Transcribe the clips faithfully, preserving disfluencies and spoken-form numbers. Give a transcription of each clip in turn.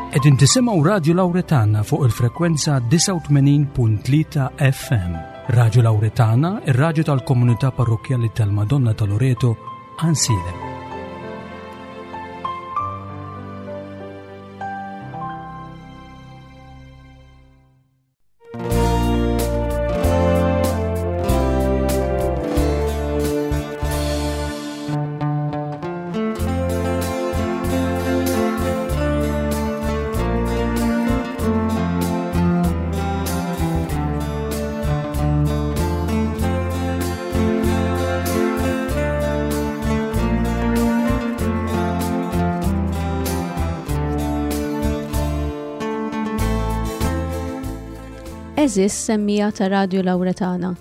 Qegħdin tisimgħu Radio Lauretana fuq il-frekwenza disgħa u tmenin punt tlieta F M. Radio Lauretana, ir-radju tal-Komunità Parrokkjali tal-Madonna ta' Loreto, Għajnsielem. Għeżież semmiegħa ta' Radio Lauretana.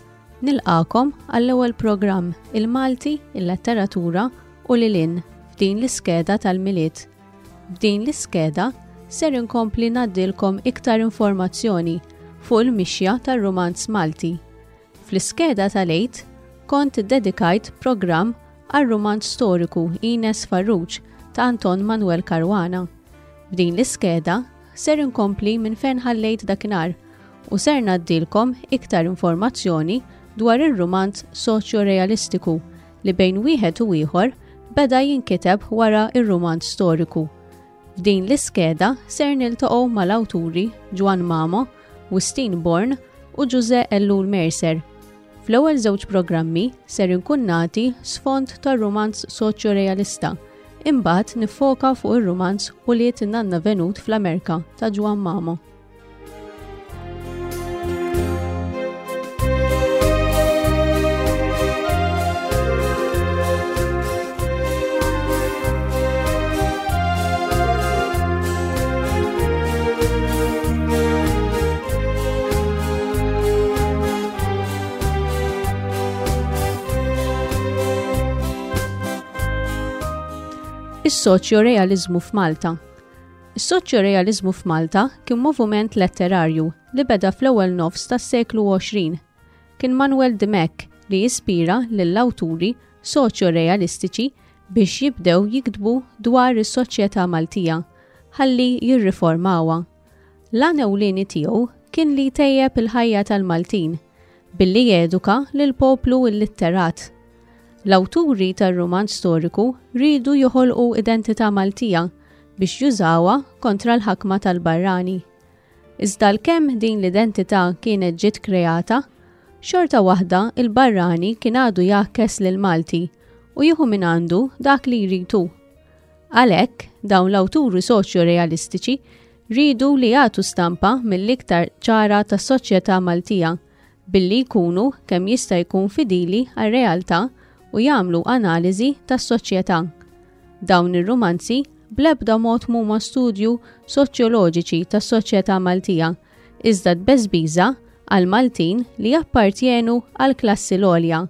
Nilqagħkom għall-ewwel programm Il-Malti, il-Letteratura u lil hinn f'din l-iskeda tal-Milied. F'din l-iskeda ser inkompli ngħaddilkom iktar informazzjoni fuq il-mixja tar-rumanz Malti. Fl-iskeda tal-Għid kont dedikajt programm għal-rumanz storiku Ines Farrugia ta' Anton Manuel Caruana. F'din l-iskeda ser inkompli minn fejn ħallejt dakinhar u ser ngħaddilkom iktar informazzjoni dwar ir-rumanz soċjo-realistiku li bejn wieħed u ieħor beda jinkiteb wara ir-rumanz storiku. F'din l-iskeda ser niltaqgħu mal-awturi Juan Mamo, Wistin Born u Ġuże Ellul Mercer. Fl-ewwel żewġ programmi ser inkun nagħti sfond tar-rumanz soċjo-realista, imbagħad nifoka fuq ir-rumanz Ulied Nanna Venut fl-Amerika ta' Juan Mamo. Is-soċjo-realizmu f'Malta. Is-soċjo-realizmu f'Malta kien moviment letterarju li beda fl-ewwel nofs tas-seklu għoxrin. Kien Manuel Dimech li jispira lill-awturi soċjo-realistiċi biex jibdew jiktbu dwar is-soċjetà Maltija ħalli jirriformawha. L-għan ewlieni tiegħu kien li jtejjeb il-ħajja tal-Maltin billi jeduka lil poplu illitterat. L-awturi tar-rumanz storiku riedu joħolqu identità Maltija biex jużawha kontra l-ħakma tal-barrani. Iżda għalkemm din l-identità kienet ġiet kreata, xorta waħda il-barrani kien għadu jgħakkes lil Malti u jieħu minn għandu dak li jrid hu. Għalhekk dawn l-awturi soċjo-realistiċi riedu li jagħtu stampa mill-iktar ċara tas-soċjetà Maltija billi jkunu kemm jista' jkun fidili għar-realtà u jagħmlu analiżi tas-soċjetà. Dawn ir-rumanzi bl-ebda mod mhuma studju soċjoloġiċi tas-soċjetà Maltija, iżda tbeżbiża għal Maltin li jappartjenu għal klassi l-għolja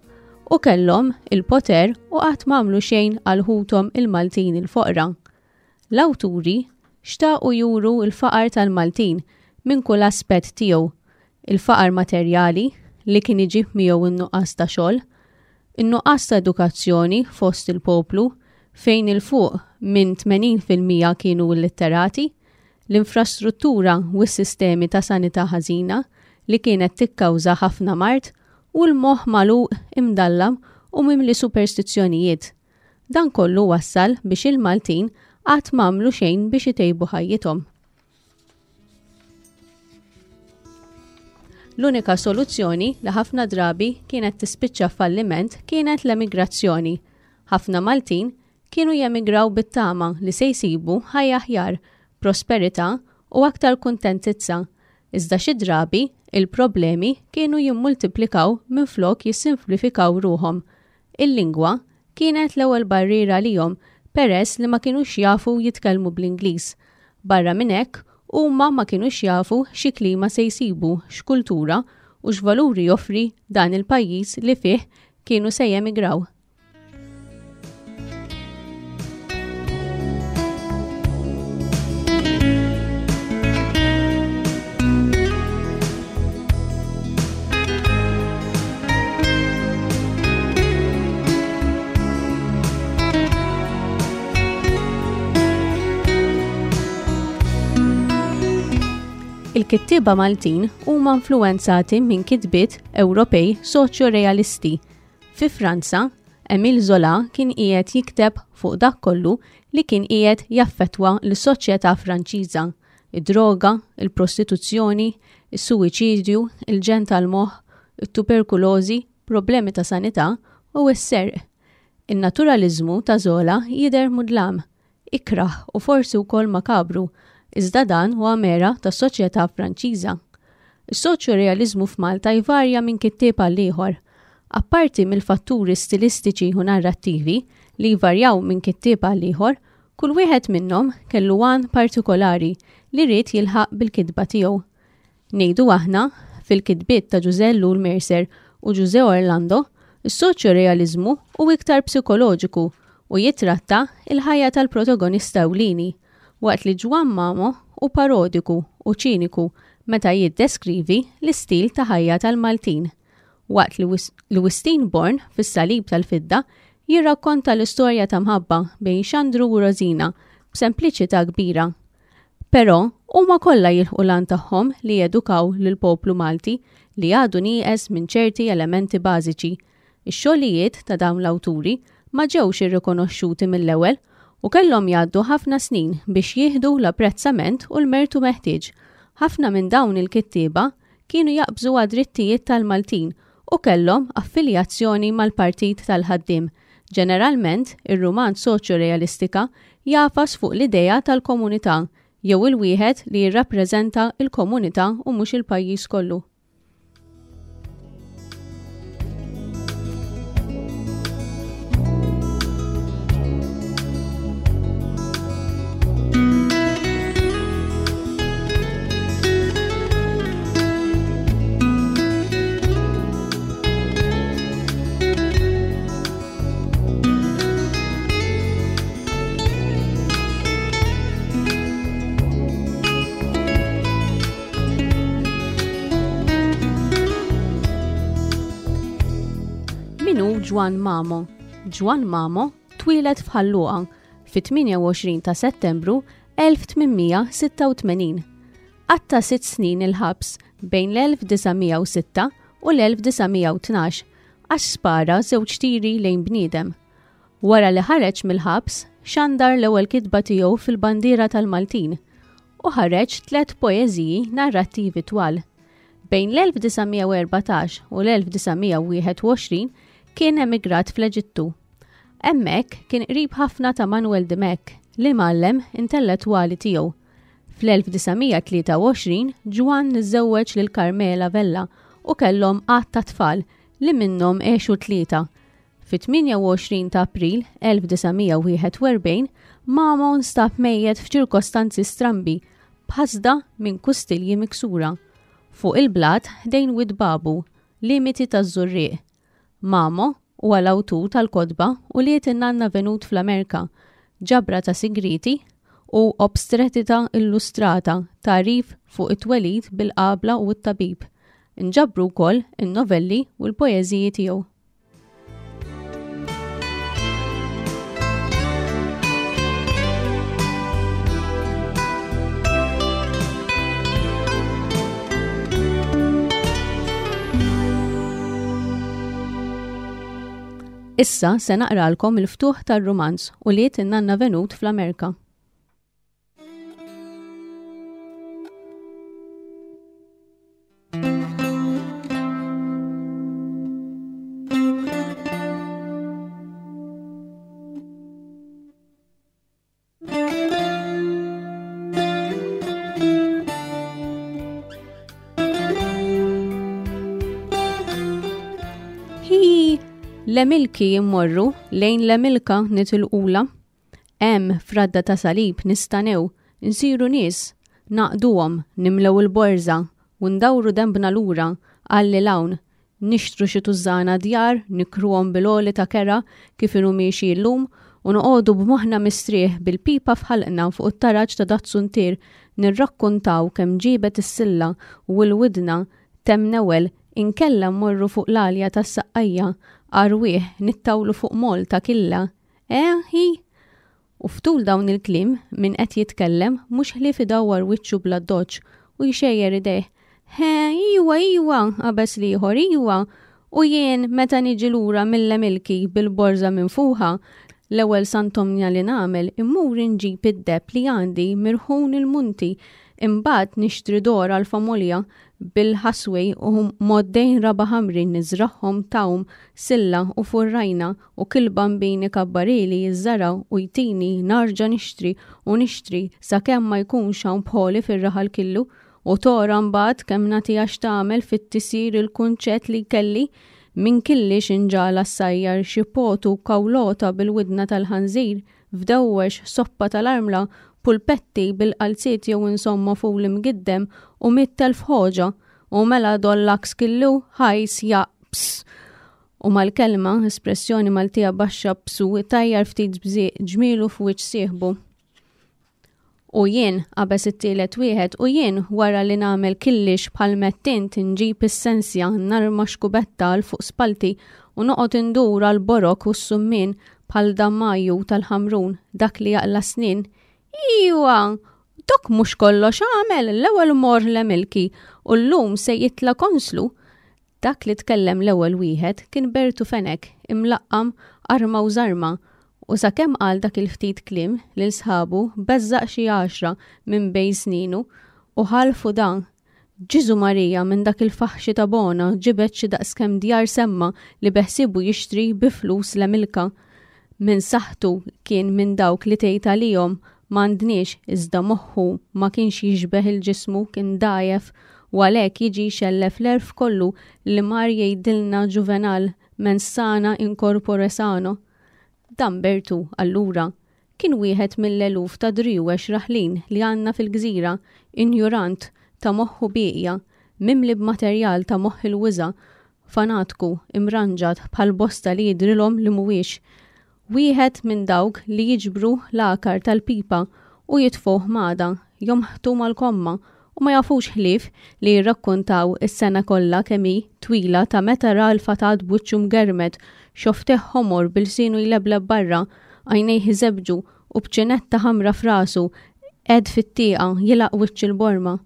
u kellhom il-poter u qatt m'għamlu xejn għal ħuthom il-Maltin il-foqra. L-awturi xtaqu juru il-faqar tal-Maltin minn kull aspett tiegħu, il-faqar materjali li kien iġib miegħu in-nuqqas ta' xogħol, in-nuqqas ta' edukazzjoni fost il-poplu fejn 'il fuq minn tmenin fil-mija kienu illitterati, l-infrastruttura u s-sistemi ta' sanità ħażina li kienet tikkawża ħafna mard u l-moħħ magħluq, imdallam u mimli superstizzjonijiet. Dan kollu wassal biex il-Maltin qatt m'għamlu xejn biex itejbu ħajjithom. L-unika soluzzjoni li ħafna drabi kienet tispiċċa falliment kienet l-emigrazzjoni. Ħafna Maltin kienu jemigraw bit-tama li se jsibu ħajja aħjar, prosperità u aktar kuntentizza. Iżda xi drabi il-problemi kienu jimmultiplikaw minflok jissimplifikaw ruħhom. Il-lingwa kienet l-ewwel barriera lihom peress li ma kinux jafu jitkellmu bl-Ingliż. Barra minn hekk, huma ma kinux jafu xi klima se jsibu, x'kultura u x'valuri joffri dan il-pajjiż li fih kienu se jemigraw. Il-kittieba Maltin huma influwenzati minn kitbiet Ewropej soċjo-realisti. Fi Franza, Emile Zola kien qiegħed jikteb fuq dak kollu li kien qiegħed jaffettwa lis-soċjetà Franċiża: id-droga, il-prostituzzjoni, is-suwiċidju, il-ġenn tal-moħħ, it-tuberkulożi, problemi ta' sanità u s-serq. In-naturaliżmu ta' Zola jidher mudlam, ikrah u forsi wkoll makabru, iżda dan huwa mera tas-soċjetà Franċiża. Is-soċjo-realiżmu f'Malta jvarja minn kittieb għal ieħor. Apparti mill-fatturi stilistiċi u narrattivi li jvarjaw minn kittieb għal ieħor, kull wieħed minnhom kellu għan partikolari li ried jilħaq bil-kitba tiegħu. Ngħidu aħna, fil-kitbiet ta' Ġużè Ellul Mercer u Ġużè Orlando, is-soċjo-realiżmu hu iktar psikoloġiku u jitratta il-ħajja tal-protagonista ewlieni, waqt li Ġwann Mamo hu parodiku u ċiniku meta jiddeskrivi l-istil ta' ħajja tal-Maltin, waqt li Wistin Born fis-Salib tal-Fidda jirrakkonta l-istorja ta' mħabba bejn Xandru u Rosina b'sempliċità kbira. Però huma kollha jilħqu l-għan tagħhom li jedukaw lill-poplu Malti li għadu nieqes minn ċerti elementi bażiċi. Ix-xogħlijiet ta' dawn l-awturi ma ġewx irrikonoxxuti mill-ewwel u kellhom jgħaddu ħafna snin biex jieħdu l-apprezzament u l-mertu meħtieġ. Ħafna minn dawn il-kittieba kienu jaqbżu għad-drittijiet tal-Maltin u kellhom affiljazzjoni mal-Partit tal-Ħaddiem. Ġeneralment, ir-rumanz soċjo-realistika jafas fuq l-idea tal-komunità jew il-wieħed li jirrappreżenta l-komunità u mhux il-pajjiż kollu. Min hu Ġwann Mamo? Ġwann Mamo twieled f'Ħal Luqa fit-tmienja u għoxrin ta' Settembru elf tmien sitta u tmenin. Qatta' sitt snin il-ħabs bejn l-elf disa' mija u sitta u l-elf disa' mija u tnax għax spara żewġ tiri lejn bniedem. Wara li ħareġ mill-ħabs, xandar l-ewwel kitba tiegħu fil-bandiera tal-Maltin u ħareġ tliet poeżiji narrattivi twal. Bejn l-elf disa' mija u erbatax u l-elf disa' mija u wieħed u għoxrin kien emigrat fl-Eġittu. Hemmhekk kien qrib ħafna ta' Manuel Dimech, li mgħallem intellettwali tiegħu. Fl-elf disa' mija tlieta u għoxrin Ġwann iżżewweġ lil Carmela Vella u kellhom għadd ta' tfal li minnhom għexu tlieta. Fit-tmienja u għoxrin ta' April elf disa' mija u wieħed u erbgħin Mamo nstab mejjet f'ċirkostanzi strambi b'ħasda minn kustilji miksura fuq il-blat ħdejn Wied Babu, limiti taż-Żurrieq. Mamo huwa l-awtur tal-kotba u liet in-nanna venut fl-Amerika, ġabra ta' sigriti u obstretita illustrata, tagħrif fuq it-twelid bil-qabla u t-tabib. Inġabru wkoll in-novelli u l-poeżiji tiegħu. Issa se naqralkom il-ftuħ tar-rumanz u liet in-nanna venut fl-Amerika. L-Emilki jimmorru lejn l-Emilka nitilqula. Hemm fradda ta' salib nistanew, nsiru nies, naqduhom, nimlew il-borża u ndawru dembna lura għalli l-hawn, nixtru xi tużżana djar, nikruhom bil-għoli ta' kera kif inhu miexi llum u noqogħdu b'moħħna mistrieħ bil-pipa f'ħalqna fuq it-taraġ ta' dat-suntier nirrakkuntaw kemm ġibet is-silla u l-widna temm newel inkella mmorru fuq l-għalja tas-saqqajja arwieħ nittawlu fuq mol ta' killa. Eh, hi? U ftul dawn il-kliem min qed jitkellem mhux ħlief idawwar wiċċu bla doċ u jxejjer idejh. He, iwa, iwa, qabeż l-ieħor, iwa. U jien meta niġi lura mill-Emilki bil-borża minfuħa, l-ewwel santomnja li nagħmel immur inġib id-deheb li għandi mirħun il-munti, imbagħad nixtri dor għall-familja bil-ħaswej u moddejn raba ħamrin niżragħhom tawm, silla u furrajna u kull bambin ikabbarili jiżżara u jtini narġa' nixtri u nixtri sakemm ma jkunx hawn bħoli fir-raħal killu u tora mbagħad kemm nagħtiha x'tagħmel fit-tisir il-kunċett li kelli minn killix inġala ssajjar xi potu kawlota bil-widna tal-ħanżir fdewwex soppa tal-armla pulpetti bil-qalziet jew insomma ful imgiddem u mitt elf ħoġa u mela dollaks killu ħajs jaqps. U mal-kelma, espressjoni Maltija baxxa psu, tajjar ftit bżieq ġmielu f'wiċċ sieħbu. U jien, qabeż it-tielet wieħed, u jien wara li nagħmel killix bħal mettint inġib is-sensja narma xkubetta għal fuq spalti u noqgħod indur għal borok u s-summin bħal dammaju tal-ħamrun dak li jaqla snin. Iwa, dok mhux kollox għamel l-ewwel mor l-Emilki u llum se jitla konslu. Dak li tkellem l-ewwel wieħed kien Bertu Fenek imlaqqam arma u żarma u sakemm qal dak il-ftit kliem lil sħabu beżżaq xi għaxra minn bejn sninu u ħalfu dan. Ġiżu Marija minn dak il-faħxi ta' Bona ġibed xi daqskemm djar semma li beħsibu jixtri bi flus l-Emilka. Minn saħħtu kien minn dawk li tgħid għalihom m'għandniex iżda moħħu ma kienx jixbeh il-ġismu kien dgħajjef u għalhekk jiġi jxellef l-erf kollu li mar jgħidilna Ġuvenal mens sana in corpore sano. Dan Bertu, allura, kien wieħed mill-eluf ta' driwex raħlin li għandna fil-gżira, injurant ta' moħħu bieqja, mimli b'materjal ta' moħħ il-wiża, fanatku, imranġat bħal bosta li jidrilhom li mhuwiex. Wieħed minn dawk li jiġbru l-għakar tal-pipa u jitfuh mada, jomħtu mal-komma u ma jafux ħlief li jirrakkontaw is-sena kollha kemm hi twila ta' meta ra l-fatat b'wiċċu mgermed, xofteh ħomor bilsienu jlebleb barra, għajnejh iżebġu u b'ċinetta ħamra f'rasu, qed fit-tieqa jilaq wiċċ il-borma.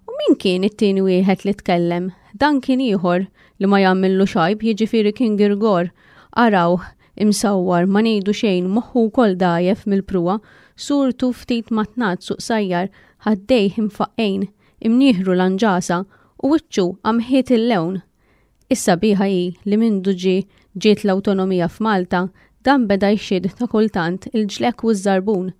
U min kien it-tieni wieħed li tkellem? Dan kien ieħor li ma jagħmillu xajb, jiġifieri kien Girgor. Arawh, imsawwar, ma ngħidu xejn, moħħu wkoll dgħajjef mill-pruwa, surtu ftit matnat suq sajjar, ħaddejh imfaqqejn, imnieħru lanġasa u wiċċu għamħiet il-lewn. Is-sabiħa hi li mindu ġie ġiet l-awtonomija f'Malta, dan beda jxid ta' kultant il-ġlek u ż-żarbun.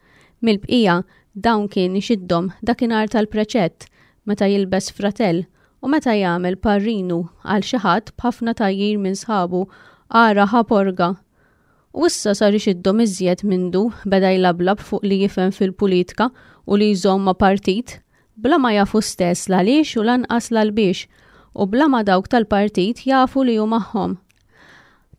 Mill-bqija dawn kien ixiddhom dakinhar tal-preċett meta jilbes fratell u meta jagħmel parrinu għal xi ħadd b'ħafna tgħajjir minn sħabu ara ħa porga. U issa sar ixiddhom iżjed mindu beda jlablab fuq li jifhem fil-politika u li jżomm ma' partit, bla ma jafu stess l għaliex u lanqas l-għalbiex, u bla ma dawk tal-partit jafu li hu magħhom.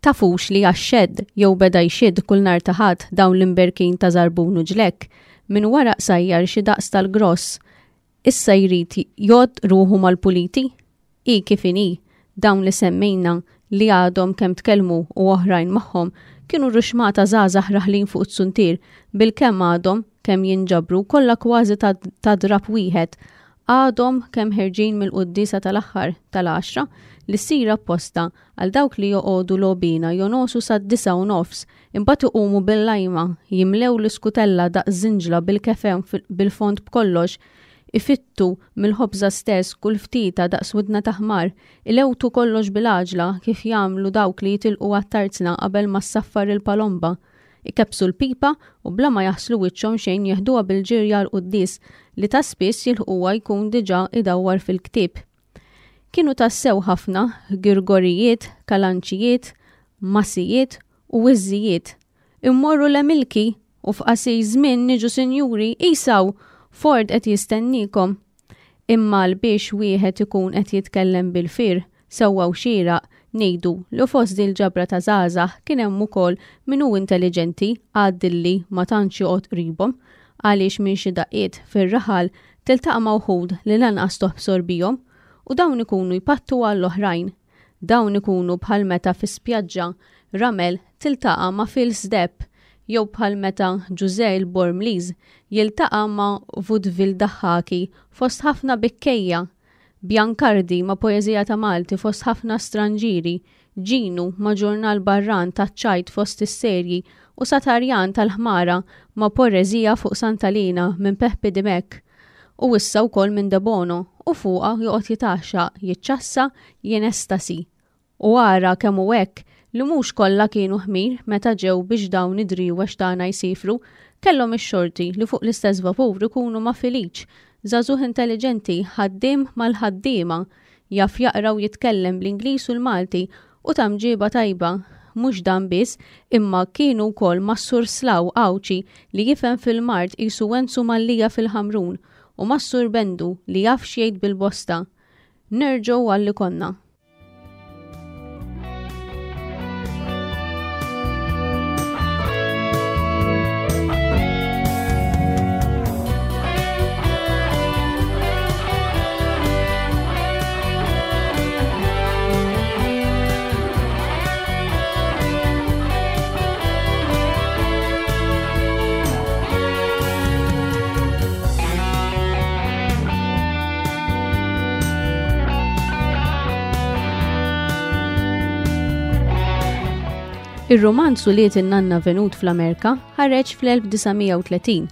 Tafux li għax-xedd jew beda jxidd kull nhar ta' Ħadd dawn l-imberkin ta' żarbun u ġlekk, minn wara qsajjar xi daqs tal-gross, issa jrid jgħodd ruħu mal-puliti? I kif inhi, dawn li semmejna li għadhom kemm tkellmu u oħrajn magħhom kienu ruxmata żgħażagħ raħlin fuq it-suntier bilkemm għadhom kemm jinġabru kollha kważi ta', ta drab wieħed għadhom kemm ħerġin mill-quddiesa tal-aħħar tal-għaxra li ssir apposta għal dawk li joqogħdu lobina jonosu sad-disa u nofs imbagħad iqumu bil-lajma jimlew l-iskutella daqs żinġla bil-kefe bil-fond b'kollox ifittu mill-ħobża stess kull ftita daqs widna ta' ħmar, ilewtu kollox bil-għaġla kif jagħmlu dawk li jitilqu għat-tarzna qabel ma ssaffar il-palomba. Ikebsu l-pipa u bla ma jaħslu wiċċhom xejn jeħduha bil-ġirja l-quddies li ta' spiss jilħquha jkun diġà idawwar fil-ktieb. Kienu tassew ħafna girgorijiet, kalanċijiet, masijiet u wiżżijiet. Immorru l-Emilki u f'qasir żmien niġu sinjuri isaw Ford qed jistennikom. Imma l biex wieħed ikun qed jitkellem bil-fir, sewwa u xieraq, ngħidu li fost il-ġabra ta' żgħażagħ kien hemm ukoll min hu intelliġenti għaddilli ma tantx joqgħod qribhom, għaliex minn xi daqqiet fir-raħal tiltaqa' ma' wħud li lanqas toħsor bihom u dawn ikunu jpattu għall-oħrajn. Dawn ikunu bħal meta fi spjaġġa ramel tiltaqa' ma' fils deheb Jew bħal meta Ġużè l-Bormliż jiltaqa' ma' Vudvil Daħħaki fost ħafna bikkejja, Biancardi ma' Poeżija ta' Malti fost ħafna stranġieri, Ġinu ma' ġurnal barran taċ-ċajt fost is-serji u Satarjan tal-Ħmara ma' Poreżija fuq Santa Lina minn Peppi Dimech u issa wkoll minn Debono u fuqha joqgħod jitgħaxxaq, jiċċassa, jinestasi. U ara kemm hu hekk li mhux kollha kienu ħmir meta ġew biex dawn id-driwex tagħna jsifru, kellhom ix-xorti li fuq l-istess vapur ikunu ma' Filiċ, żagħżugħ intelliġenti, ħaddiem mal-ħaddiema, jaf jaqra u jitkellem bl-Ingliż u l-Malti u ta' mġiba tajba. Mhux dan biss, imma kienu wkoll mas-Sur Slaw Għawdxi li jifhem fil-mard qisu Wenzu Mallia fil-Ħamrun u mas-Sur Bendu li jaf x'jgħid bil-bosta. Nerġgħu għal li konna. Ir-rumanz Ulied in-Nanna Venut fl-Amerika ħareġ fl-elf disa' mija u tletin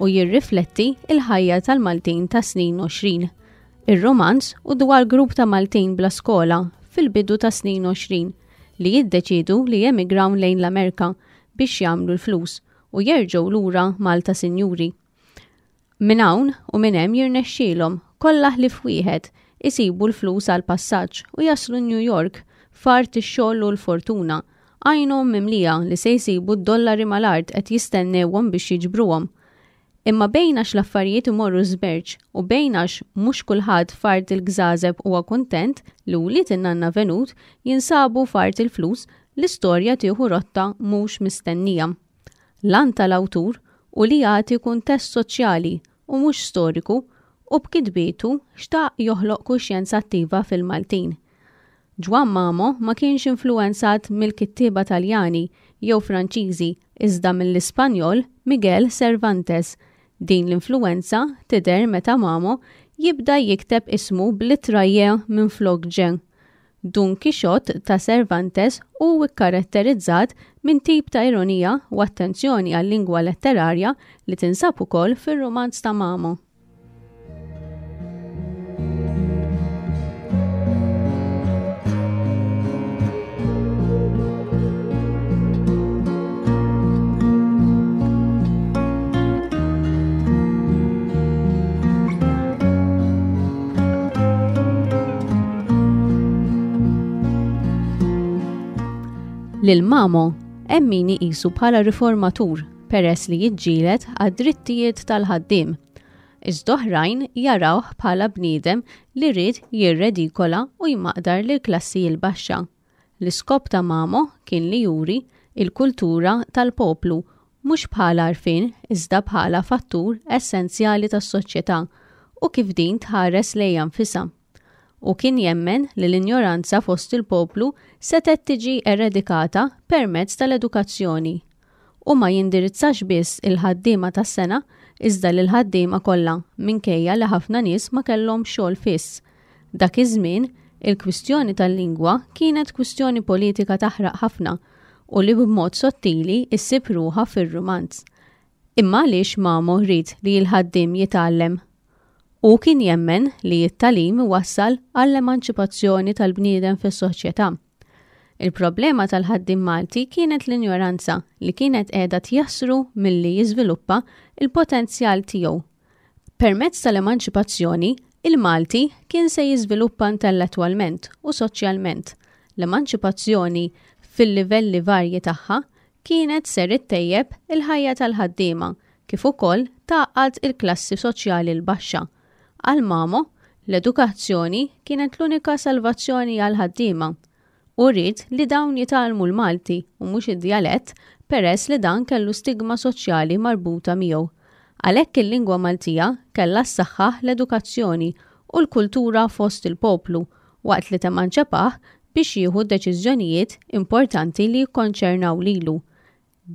u jirrifletti il-ħajja tal-Maltin ta' snin għoxrin. Ir-rumanz hu dwar grupp ta' Maltin bla skola fil-bidu ta' snin għoxrin li jiddeċidu li jemigraw lejn l-Amerika biex jagħmlu l-flus u jerġgħu lura Malta sinjuri. Minn hawn u minn hemm jirnexxielhom kollha ħlief wieħed isibu l-flus għal passaġġ u jaslu New York f'art ix-xogħol u l-fortuna, għajnhom mimlija li se jsibu d-dollari mal-art qed jistennewhom biex jiġbruhom. Imma bejn għax l-affarijiet imorru żberġ u bejn għax mhux kulħadd f'art il-gżażeb huwa kuntent li wlied in-Nanna Venut jinsabu f'art il-flus, l-istorja tieħu rotta mhux mistennija. L-għan tal-awtur u li jagħti kuntest soċjali u mhux storiku u b'kitbietu xtaq joħloq kuxjenza attiva fil-Maltin. Ġwann Mamo ma kienx influenzat mill-kittieba Taljani jew Franċiżi iżda mill-Ispanjol Miguel Cervantes. Din l-influenza tidher meta Mamo jibda jikteb ismu bl-ittra J minn flok Ġ. Dun Quixote ta' Cervantes hu kkaratterizzat minn tip ta' ironija u attenzjoni għal-lingwa letterarja li tinsab ukoll fir-rumanz ta' Mamo. Lil Mamo hemm min iqisu bħala riformatur peress li jiġġieled għad-drittijiet tal-ħaddiem. Iżda oħrajn jarawh bħala bniedem li ried jirredikola u jmaqdar lil klassi l-baxxa. L-iskop ta' Mamo kien li juri il-kultura tal-poplu mhux bħala għarfien iżda bħala fattur essenzjali tas-soċjetà u kif din tħares lejha nfisha. U kien jemmen li l-injoranza fost il-poplu setgħet tiġi eredikata permezz tal-edukazzjoni. U ma jindirizzax biss il-ħaddiema tas-sena iżda lil ħaddiema kollha minkejja li ħafna nies ma kellhom xogħol fiss. Dak iż-żmien il-kwistjoni tal-lingwa kienet kwistjoni politika taħraq ħafna u li b'mod sottili issib ruħha fir-rumanz. Imma għaliex Mamo ried li l-ħaddiem jitgħallem? U kien jemmen li t-tagħlim iwassal għall-emanċipazzjoni tal-bniedem fis-soċjetà. Il-problema tal-ħaddiem Malti kienet l-injoranza li kienet qiegħda tjassru milli jiżviluppa il-potenzjal tiegħu. Permezz tal-emanċipazzjoni, il-Malti kien se jiżviluppa intellettwalment u soċjalment. L-emanċipazzjoni fil-livelli varji tagħha kienet ser ittejjeb il-ħajja tal-ħaddiema kif ukoll tgħaqqad il-klassi soċjali l-baxxa. Għal Mamo, l-edukazzjoni kienet l-unika salvazzjoni għal ħaddiema. U ried li dawn jitgħallmu l-Malti u mhux id-djalett peress li dan kellu stigma soċjali marbuta miegħu. Għalhekk il-lingwa Maltija kellha ssaħħaħ l-edukazzjoni u l-kultura fost il-poplu waqt li temanċepah biex jieħu deċiżjonijiet importanti li jikkonċernaw lilu.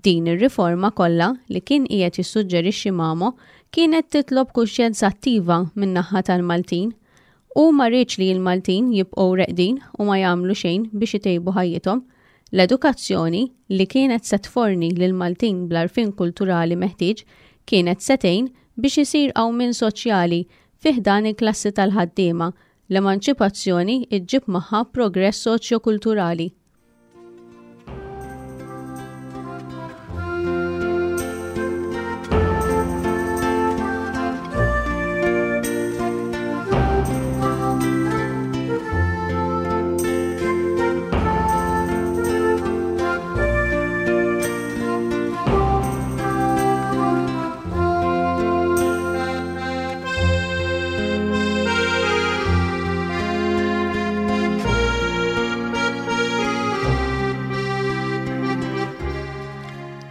Din ir-riforma kollha li kien qiegħed jissuġġerixxi Mamo kienet titlob kuxjenza attiva min-naħa tal-Maltin. Hu ma riedx li l-Maltin jibqgħu reqdin u ma jagħmlu xejn biex itejbu ħajjithom. L-edukazzjoni li kienet se tforni lill-Maltin bl-għarfien kulturali meħtieġ kienet se tgħin biex isir qawmien soċjali fi ħdan il-klassi tal-ħaddiema. L-emanċipazzjoni ġġib magħha progress soċjokulturali.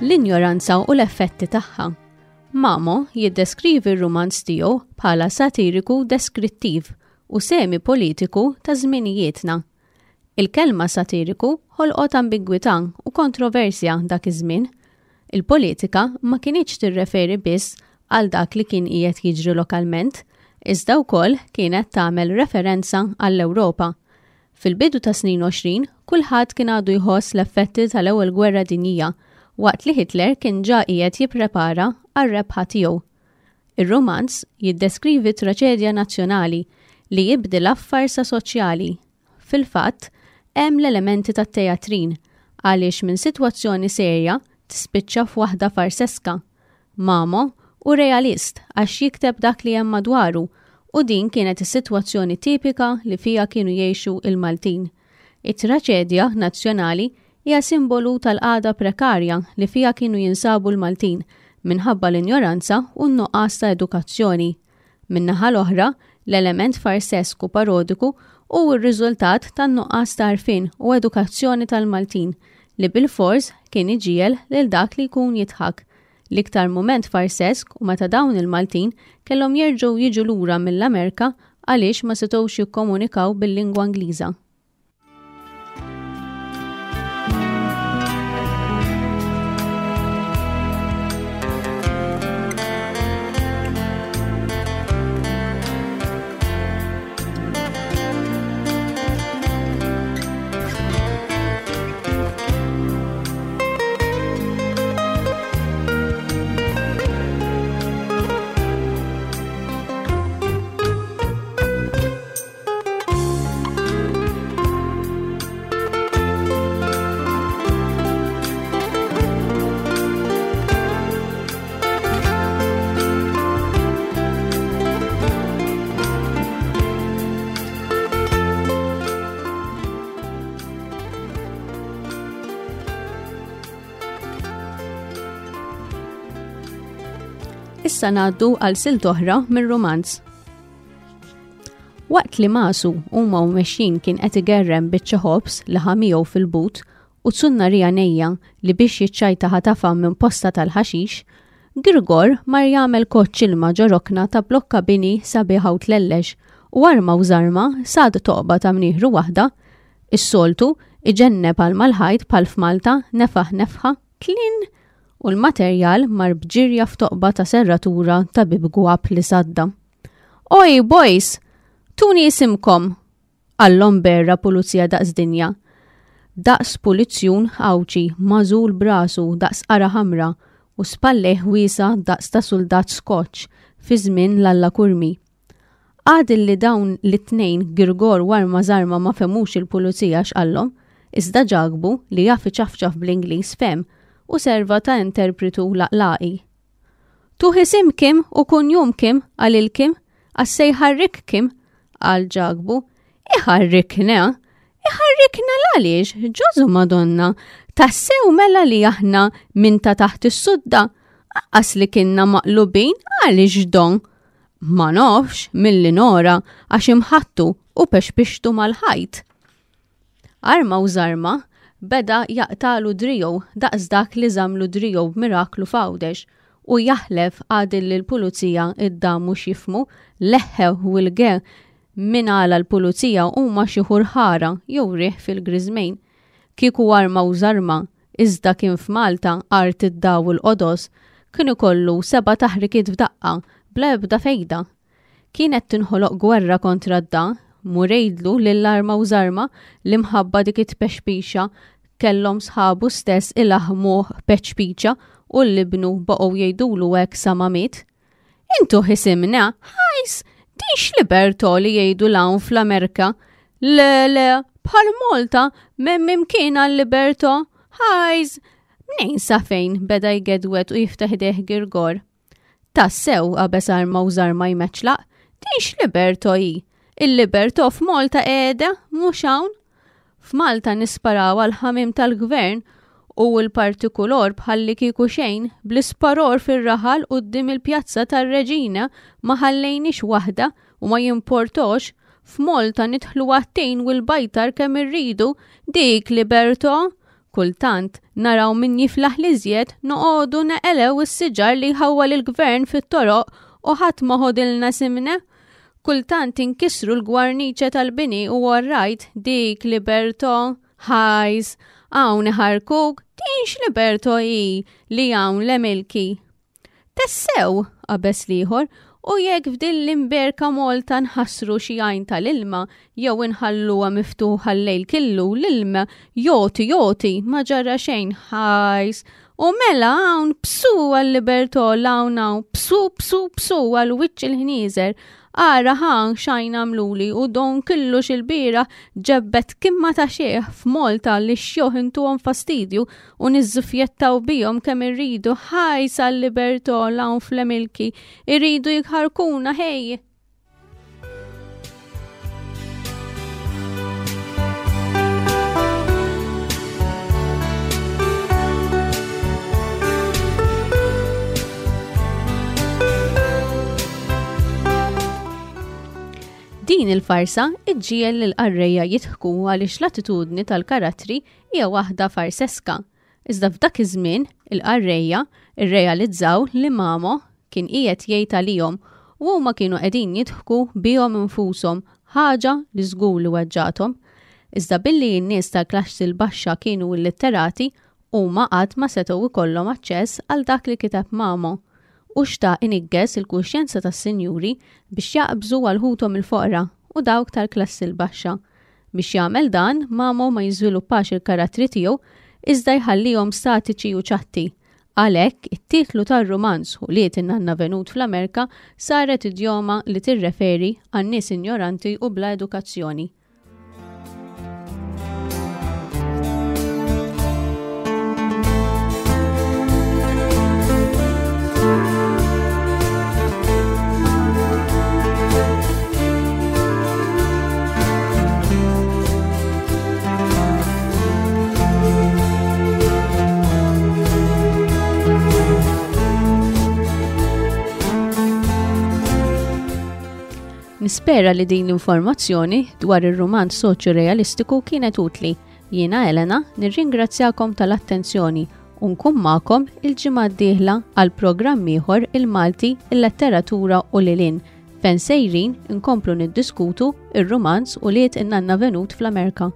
L-injoranza u l-effetti tagħha. Mamo jiddeskrivi r-rumanz tiegħu bħala satiriku deskrittiv u semi politiku ta' żminijietna. Il-kelma satiriku ħolqot ambigwità u kontroversja dak iż-żmien. Il-politika ma kinitx tirreferi biss għal dak li kien qiegħed jiġri lokalment, iżda wkoll kienet tagħmel referenza għall-Ewropa. Fil-bidu ta' snin għoxrin, kulħadd kien għadu jħoss l-effetti tal-Ewwel Gwerra Dinjija, waqt li Hitler kien ġa qiegħed jipprepara għar-rebħa tiegħu. Ir-romanz jiddeskrivi traċedja nazzjonali li jibdilha f'farsa soċjali. Fil-fatt, hemm l-elementi tat-teatrin għaliex minn sitwazzjoni serja tispiċċa f'waħda farseska. Mamo u realist għax jikteb dak li hemm madwaru u din kienet is-sitwazzjoni tipika li fija kienu jgħixu il-Maltin. It-traċedja nazzjonali hija simbolu tal-qagħda prekarja li fija kienu jinsabu l-Maltin minħabba l-injoranza u n-nuqqas ta' edukazzjoni. Min-naħa l-oħra, l-element farsesku parodiku hu r-riżultat tan-nuqqas ta' għarfien u edukazzjoni tal-Maltin li bil-fors kien iġiegħel lil dak li jkun jidħak. L-iktar mument farsesk u meta dawn il-Maltin kellhom jerġgħu jiġu lura mill-Amerika għaliex ma setgħux jikkomunikaw bil-lingwa Ingliża. Issa ngħaddu għal silt oħra mir-romanz. Waqt li Masu huma u mexjin kien qed igerrem biċċa ħobż li ħa miegħu fil-but u tsunnarija nejja li biex jiċċajta ħatafa minn posta tal-ħaxix, Girgor mar jagħmel koċċ ilma ġo rokna ta' blokka bini sabiħa u tlellex u arma u żarma sad toqba ta' mnieħru waħda, is-soltu iġenneb għal mal-ħajt bħal f'Malta nefaħ nefħa tlin u l-materjal mar bġirja f'toqba ta' serratura ta' bib gwab li sadda. Oj, boys, tuni isimkom, għallhom berra pulizija daqs dinja. Daqs pulizzjun Għawdxi mażul brasu daqs qara ħamra u spalleh wiesa daqs ta' suldat Skoċ fi żmien l-Alla Kurmi. Għad li dawn l-tnejn Girgor u Arma Żarma ma femux il-pulizija x'qallhom, iżda Ġakbu li jaf iċafċaf bl-Ingliż fem u serva ta' interpretu laqlaqi. Tuħ isim Kim u kunjum Kim, għal il-Kim, għassej ħarrik Kim, għal Ġakbu. Iħarrikna, iħarrikna l-għaliex, ġożu Madonna, tassew mela li aħna minn ta' taħt is-sudda, aqas li kienna maqlubin għaliex don. Ma nafx milli nora għax imħattu u pexpixtu mal-ħajt. Arma u żarma beda jaqtalu drijow daqs dak li żamlu drijow b'miraklu f'Għawdex u jaħlef għadil li l-pulizija id-damu x'jifhmu leħħew u l-ge min għala l-pulizija huma xi ħurħara jew riħ fil-griżmejn. Kieku arma u żarma Iżda kien f'Malta art id-daw il-qodos kien ikollu seba' taħrikiet f'daqqa bla ebda fejda. Kienet tinħoloq gwerra kontra d-da, murejdlu lill-arma u żarma li mħabba dik it-pexpixa kellhom sħabu stess ilaħmuh peċpiċa u l-libnu baqgħu jgħidulu hekk sa ma miet. Intu ħisimna, ħajs, din x'libertò li jgħidu l-hawn fl-Amerika. Le, le, bħal Malta m'hemm imkien għal-libertò. Ħajs, mnejn sa fejn beda jgedwet u jiftaħ idejh Girgor. Tassew qabeż arma u żarma jmeċlaq, din x'libertò hi? Il-libertò f'Malta qiegħda mhux hawn. F'Malta nisparaw għal ħamim tal-gvern u l-partikulor bħalli kieku xejn bl-isparor fir-raħal quddiem il-pjazza tar-Reġina ma ħallejniex waħda u ma jimportox. F'Malta nidħlu għat-tin u l-bajtar kemm irridu, dik libertò. Kultant naraw min jiflaħ l-iżjed noqogħdu neqelew is-siġar li jħawwal il-gvern fit-toroq u ħadd ma ħodilna simna. Kultant inkisru l-gwarniċe tal-bini u orrajt dik libertò. Ħajs, hawn iħarkuk, din x'libertò hi li hawn l-emilki. Tassew, qabeż l-ieħor, u jekk f'din l-imberka Malta nħassru xi għajn tal-ilma jew inħalluha miftuħa l-lejl killu l-ilma joti joti ma ġara xejn ħajs. U mela hawn psu għal-libertò l-hawn hawn psu psu psu għal wiċċ il-ħnieżer. Ara ħan xajn għamluli u don killu xil-bira ġebbet kimma ta' xieħ f'Malta li xjoħ intuhom fastidju u niżżufjettaw bihom kemm irridu ħajs għal-libertò l-hawn fl-emilki irridu jħarkuna ħej. Din il-farsa iġġiegħel lill-qarrejja jidħku għaliex l-attitudni tal-karattri hija waħda farseska. Iżda f'dak iż-żmien il-qarrejja irrealizzaw li Mamo kien qiegħed jgħid għalihom u huma kienu qegħdin jidħku bihom infushom, ħaġa li żgur li weġġathom. Iżda billi n-nies tal-klassi l-baxxa kienu illitterati, huma qatt ma setgħu jkollhom aċċess għal dak li kiteb Mamo. U xtaq inigges il-kuxjenza tas-sinjuri biex jaqbżu għal ħuthom il-foqra u dawk tal-klassi l-baxxa. Biex jagħmel dan, Mamo ma jiżviluppax il-karattri tiegħu iżda jħallihom statiċi u ċatti. Għalhekk, it-titlu tar-rumanz Ulied in-Nanna Venut fl-Amerika saret idjoma li tirreferi għan nies injoranti u bla edukazzjoni. Nispera li din l-informazzjoni dwar ir-rumanz soċjo-realistiku kienet utli. Jiena Elena, nirringrazzjakom tal-attenzjoni u nkun magħkom il-ġimgħa d-dieħla għal programm ieħor il-Malti, il-letteratura u lilin, fejn sejrin inkomplu niddiskutu ir-rumanz Ulied in-Nanna Venut fl-Amerika.